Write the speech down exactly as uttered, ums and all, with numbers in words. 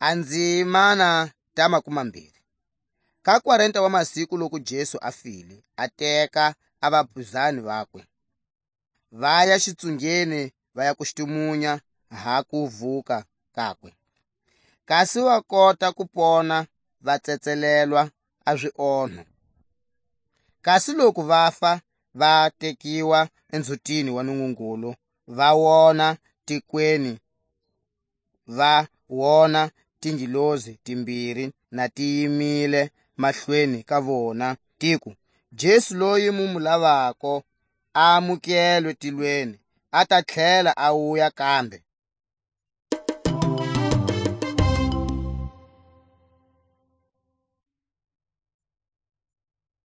A ndzimana ta makumambiri. Ka kwarenta wa masiku, loku Jesu a file, a teka a vapizani vakwe, va ya xitsungeni, va ya ku xitumunya ha kuvuka kakwe. Kasi va kota ku pona, va tsetselelwa a zionho. Kasi loku vafa va tekiwa endzhutini wa Nungungulu, va wona tikweni, va wona tingilozi timbiri na ti yimile mahlweni ka vona, tiku: "Jesu loyi mu mu lavako, a amukelwe tilweni, a ta tlhela a wuya kambe."